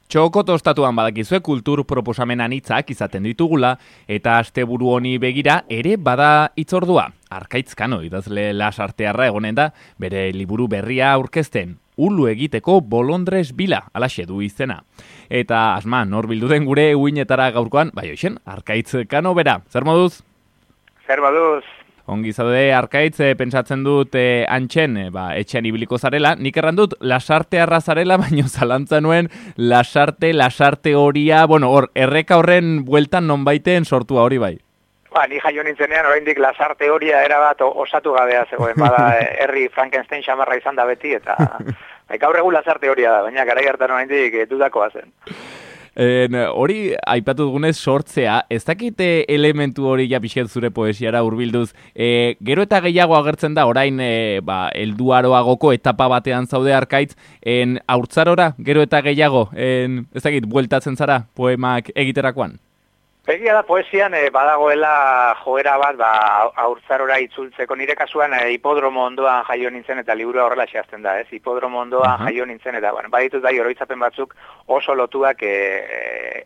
Txoko tostatuan badakizue kultur proposamen anitzak izaten ditugula eta asteburu honi begira ere bada itzordua. Arkaitz Kano idazle lasartearra egonen da bere liburu berria aurkezten. Ulu egiteko bolondres bila, alaxe du izena. Eta asma, nor bildu den gure uinetara gaurkoan, bai hoxen, Arkaitz Kano bera. Zer moduz? Zer moduz? Ongi zaude, Arkaitz, pentsatzen dut antxen, etxean ibiliko zarela. Nik erran dut, lasartearra zarela, baino zalantza nuen lasarte horia, hor, erreka horren bueltan nonbaiten sortua hori bai. Ni jaio nintzenean, oraindik lasarte horia erabat osatu gabea zegoen, bada herri Frankenstein xamarra izan da beti, eta gaur egun lasarte horia da, baina garai hartan oraindik dudakoa zen. Hori aipatu dugunez sortzea, ez dakite elementu hori ja pixket zure poesiara hurbilduz, gero eta gehiago agertzen da orain helduaroagoko etapa batean zaude Arkaitz, haurtzarora gero eta gehiago, ez dakit, bueltatzen zara poemak egiterakoan? Egia da poesian badagoela joera bat haurtzarora itzultzeko. Nire kasuan hipodromo ondoan jaio nintzen eta liburua horrela xeazten da, ez? Hipodromo ondoan jaio nintzen eta baditut oroitzapen batzuk oso lotuak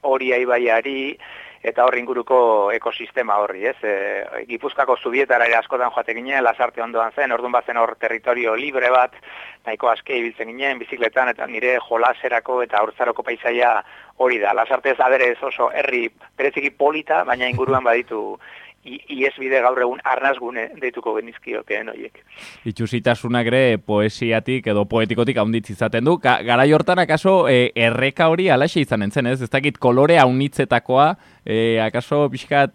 Oria ibaiari eta hor inguruko ekosistema horri, ez? Gipuzkoako zubietara ere askotan joate ginen, lasarte ondoan zen, orduan bazen hor territorio libre bat, nahiko aske ibiltzen ginen, bizikletan, eta nire jolaserako eta haurtzaroko paisaia hori da. Lasarte ez aderez oso herri bereziki polita, baina inguruan baditu iesbide gaur egun arnazgune deituko genizkiokeen horiek. Itxusitasunak ere poesiatik edo poetikotik haunditz izaten du. Garai hortan akaso erreka hori alaxe izanen zen, ez? Ez dakit kolore haunitzetakoa, akaso pixkat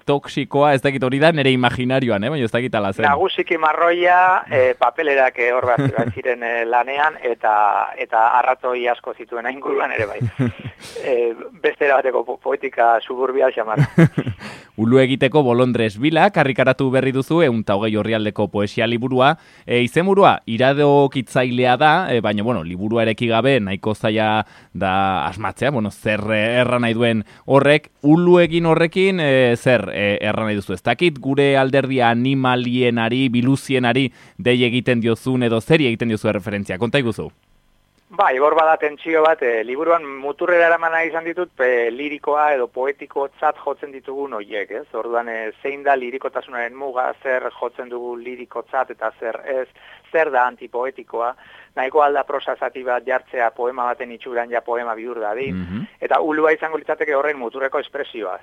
toksikoa, ez dakit hori da nire imaginarioan, baina ez dakit ala zen. Nagusiki marroia, papelerak hor bat ziren lanean, eta arratoi asko zituen inguruan ere bai. Beste bateko poetika suburbial xamar. Ulu egiteko bolondres bila, karrikaratu berri duzu, 120 orrialdeko poesia liburua. Izenburua, iradokitzailea da, baina, liburua ereki gabe, nahiko zaila da asmatzea, zer erran nahi duen horrek. Ulu egin horrekin, zer erran nahi duzu? Ez dakit gure alderdia animalienari, biluzienari, dei egiten diozun edo zeri egiten diozu referentzia. Konta iguzu? Hor bada tentsio bat, liburuan muturrera eramana izan ditut, lirikoa edo poetikotzat jotzen ditugun horiek, ez? Orduan, zein da lirikotasunaren muga, zer jotzen dugu lirikotzat eta zer ez, zer da antipoetikoa, nahiko alda prosa zati bat jartzea poema baten itxuran ja poema bihur dadin, eta ulua izango litzateke horren muturreko espresioa,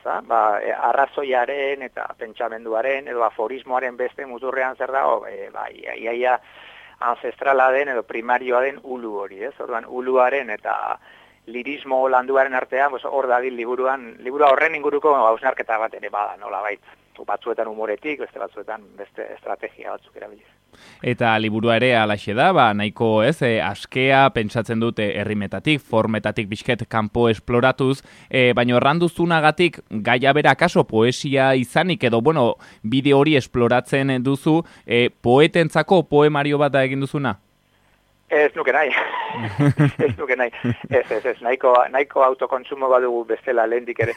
arrazoiaren eta pentsamenduaren edo aforismoaren beste muturrean zer da, iaia, ancestrala den edo primarioa den ulu hori, ez? Orduan, uluaren eta lirismo landuaren artean, hor dadil libura horren inguruko hausnarketa bat ere bada, nola bait. Batzuetan humoretik, beste batzuetan beste estrategia batzuk erabiliz. Eta liburua ere alaxe da, nahiko ez, askea pentsatzen dute herrimetatik, formetatik bizket kanpo esploratuz, baina erranduzunagatik gaia bera akaso poesia izanik edo, bide hori esploratzen duzu, poetentzako poemario bat da egin duzuna? Ez nuke nahi. Ez, nahiko autokontsumo badugu bestela lehendik ere.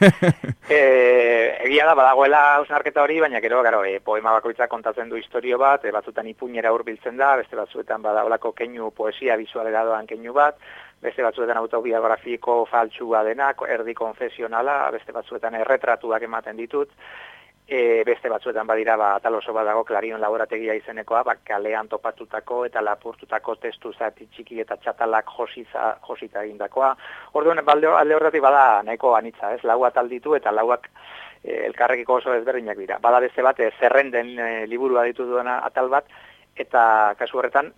Egia da, badagoela hausnarketa hori, baina gero, poema bakoitzak kontatzen du historio bat, batzutan ipuinera hurbiltzen da, beste batzuetan badaolako keinu poesia bizualera doan keinu bat, beste batzuetan autobiografiko faltsua denak, erdi konfesionala, beste batzuetan erretratuak ematen ditut, beste batzuetan badira atal oso bat dago Klarion laborategia izenekoa, kalean topatutako eta lapurtutako testu zati txiki eta txatalak josita egindakoa. Orduan, alde horretik bada nahiko anitza, ez? Lau atal ditu eta lauak elkarrekiko oso ezberdinak dira. Bada beste bat, zerrenden liburua ditu duena atal bat, eta kasu horretan,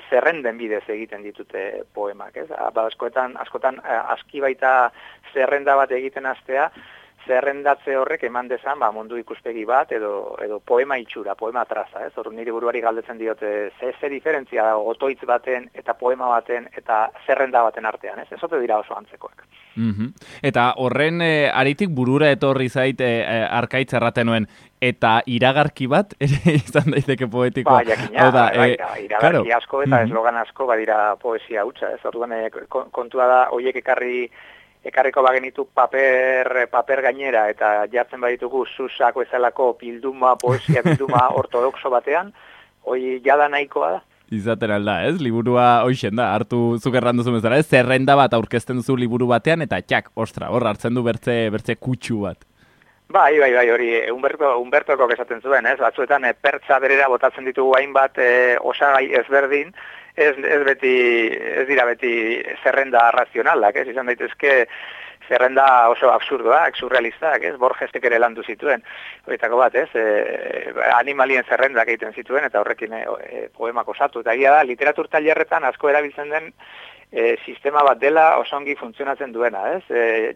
zerrenden bidez egiten ditute poemak, ez? Askotan aski baita zerrenda bat egiten hastea, zerrendatze horrek eman dezan mundu ikuspegi bat edo poema itxura, poema traza, ez? Nire buruari galdetzen diote ze diferentzia da otoitz baten eta poema baten eta zerrenda baten artean, ez? Ez ote dira oso antzekoak. Eta horren aritik burura etorri zait Arkaitz erraten nuen, eta iragarki bat ere izan daiteke poetikoa. Jakina, iragarki asko eta eslogan asko badira poesia hutsa, ez? Orduan kontua da horiek ekarriko bagenitu paper gainera eta jartzen baditugu Susako ezalako poesia bilduma ortodoxo batean, hoi jada nahikoa da. Izaten alda, ez? Liburua hoixen da, hartu zuk erranduzu bezala, ez? Zerrenda bat aurkezten duzu liburu batean, eta txak, ostra, hor hartzen du bertze kutsu bat. Bai, hori, Humbertoko esaten zuen, ez? Batzuetan pertsa berera botatzen ditugu hainbat osagai ezberdin, ez dira beti zerrenda razionalak, ez? Izan daitezke zerrenda oso absurdoak, surrealistak, ez? Borgesek ere landu zituen, horietako bat, ez? Animalien zerrendak egiten zituen, eta horrekin poemak osatu. Eta egia da, literatur tailerretan asko erabiltzen den sistema bat dela osongi funtzionatzen duena, ez?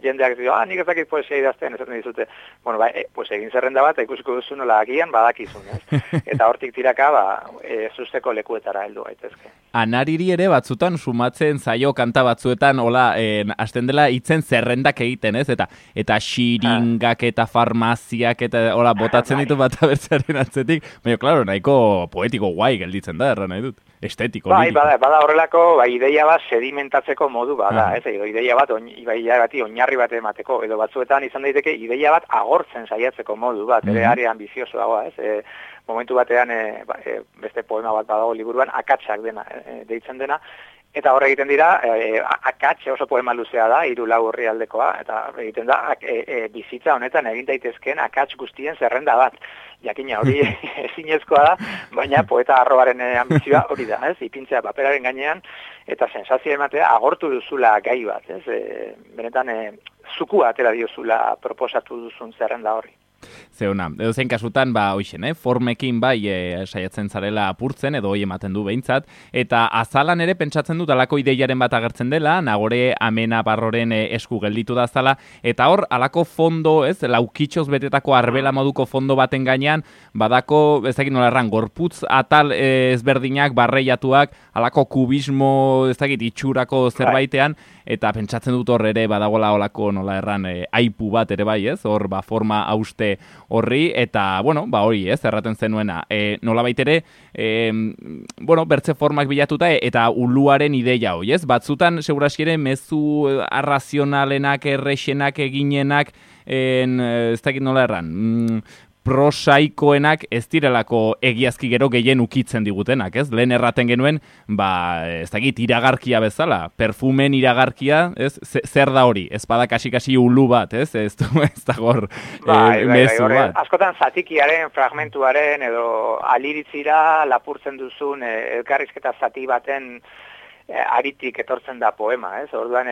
Jendeak dio, nik ez dakit poesia idazten, esaten dizute, bueno, pues egin zerrenda bat, ikusiko duzu nola agian badakizun, ez? Eta hortik tiraka, zuzteko lekuetara heldu gaitezke. Anariri ere batzutan sumatzen zaio kanta batzuetan, hola, hasten dela hitzen zerrendak egiten, ez? Eta xiringak eta farmaziak eta hola, botatzen ditu bat abertzaren atzetik, baina, klaro, nahiko poetiko guai gelditzen da, erran nahi dut. Estetiko. Bai, bada horrelako, ideia bat sedimentatzeko modu bada, ez? Edo ideia bati oinarri bat emateko, edo batzuetan izan daiteke ideia bat agortzen saiatzeko modu bat, ere are ambizioso dagoa, ez? Momentu batean, beste poema bat badago liburuan, akatsak deitzen dena, eta horre egiten dira, akatxe oso poema luzea da, 3-4 orrialdekoa, eta egiten da, bizitza honetan egin daitezkeen akats guztien zerrenda bat. Jakina hori ezinezkoa da, baina poeta arroaren ambizioa hori da, ez? Ipintzea paperaren gainean, eta sensazio ematea agortu duzula gai bat, ez? Benetan, zukua atera diozula proposatu duzun zerrenda horri. Zeuna, edo zein kasutan, hoixen, formekin saiatzen zarela apurtzen, edo hoi ematen du behintzat, eta azalan ere pentsatzen dut alako ideiaren bat agertzen dela, Nagore Amena Barroren esku gelditu da azala, eta hor, alako fondo, ez, laukitxoz betetako arbela moduko fondo baten gainean, badako, ez dakit nola erran, gorputz atal ezberdinak, barreiatuak, alako kubismo, ez dakit, itxurako zerbaitean, eta pentsatzen dut hor ere badagola olako nola erran aipu bat ere bai, ez? Hor forma hauste horri, eta, hori, ez? Erraten zenuena. Nola baitere, bertze formak bilatuta, eta uluaren ideia hoi, ez? Batzutan, segurasiere, mezu arrazionalenak, errexenak, eginenak, ez dakit nola erran, prosaikoenak ez direlako egiazki gero gehien ukitzen digutenak, ez? Lehen erraten genuen, ez dakit, iragarkia bezala, perfumen iragarkia, ez? Zer da hori? Ez bada kasi ulu bat, ez? Ez dago hor mezu bat. Askotan zatikiaren, fragmentuaren, edo aliritzira lapurtzen duzun elkarrizketa zati baten aritik etortzen da poema, ez? Orduan,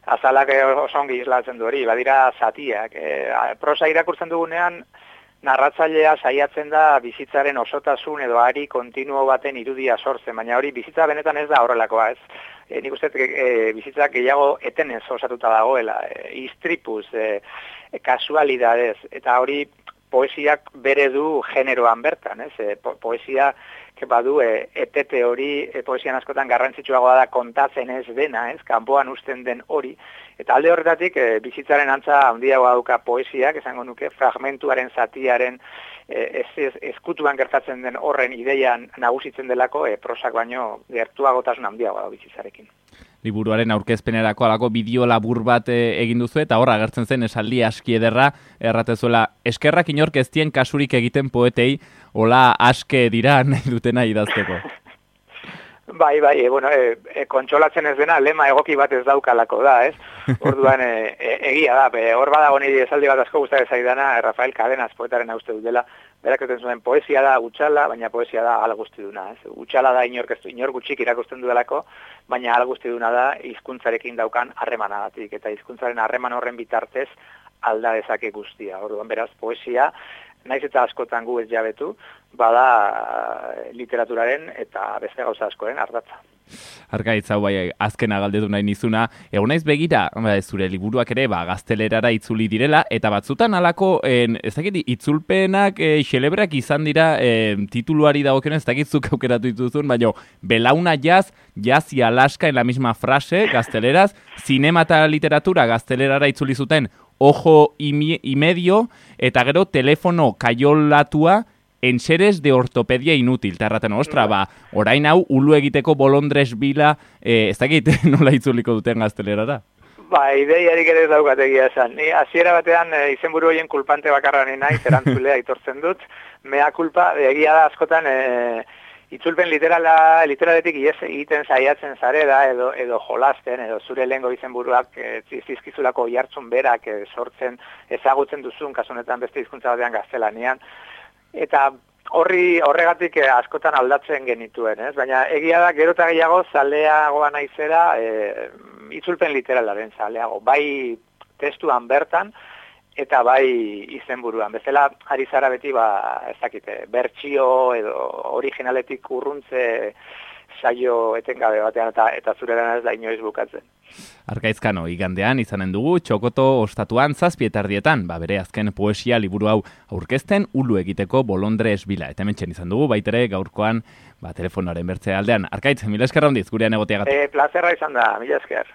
azalak osongi islatzen du hori, badira zatiak. Prosa irakurtzen dugunean, narratzailea saiatzen da bizitzaren osotasun edo ari kontinuo baten irudia sortzen, baina hori bizitza benetan ez da horrelakoa, ez? Nik uste bizitza gehiago etenez osatuta dagoela, istripuz, kasualidadez, eta hori poesiak bere du generoan bertan, ez? Poesia badu etete hori, poesian askotan garrantzitsuagoa da kontatzen ez dena, ez? Kanpoan uzten den hori. Eta alde horretatik, bizitzaren antza handiagoa dauka poesiak, esango nuke, fragmentuaren zatiaren ezkutuan gertatzen den horren ideian nagusitzen delako, prosak baino gertuagotasun handiagoa da bizitzarekin. Liburuaren aurkezpenerako alako bideo labur bat egin duzu, eta hor agertzen zen esaldi aski ederra, erratezuela, eskerrak inork ez dien kasurik egiten poetei, hola aske dira nahi dutena idazteko. Bai, kontsolatzen ez dena, lema egoki bat ez daukalako da, ez? Orduan, egia da, hor badago niri esaldi bat asko gustatzen zaidana, Rafael Cadenas poetaren uste dut dela, berak eten zuen, poesia da utxala, baina poesia da ala guztiduna, ez? Utxala da inor gutxik irakusten duelako, baina ala guztiduna da hizkuntzarekin daukan harremanagatik, eta hizkuntzaren harreman horren bitartez alda dezake guztia. Orduan, beraz, poesia, naiz eta askotan gu ez jabetu, bada literaturaren eta beste gauza askoren ardatza. Argaitz, hau azkena galdetu nahi nizuna, egon naiz begira, zure liburuak ere, gaztelerara itzuli direla, eta batzutan alako, ez dakit, itzulpenak xelebrak izan dira tituluari dagokionez, ez dakitzuk aukeratu dituzun, baina belauna jaz y Alaska en la misma frase, gazteleraz, zinema eta literatura gaztelerara itzuli zuten, ojo y medio, eta gero telefono kaiolatua, enseres de ortopedia inútil, eta erraten, ostra, orain hau, ulu egiteko bolondres bila, ez dakit nola itzuliko duten gaztelerara? Ideiarik ere ez daukategia esan. Ni hasiera batean izenburu horien kulpante bakarra ni naiz, erantzulea aitortzen dut, mea kulpa, egia da askotan itzulpen literaletik egiten saiatzen zare da, edo jolasten, edo zure lehengo izenburuak zizkizulako jartzun berak sortzen ezagutzen duzun, kasunetan beste hizkuntza batean gaztelanian, eta horregatik askotan aldatzen genituen, ez? Baina egia da, gero eta gehiago zaleagoa naizera, itzulpen literalaren zaleago, bai testuan bertan, eta bai izenburuan. Bezala, ari zara beti, ezakite, bertsio edo originaletik urruntze saio etengabe batean, eta zure lana ez da inoiz bukatzen. Arkaizkano, igandean izanen dugu Txokoto ostatuan 7:00 bere azken poesia liburu hau aurkezten ulu egiteko Bolondres Bila. Eta hementxen izan dugu, baitere gaurkoan telefonoaren bertze aldean. Arkaitz, mila esker handiz, gurean egoteagatik. Plazerra izan da, mila esker.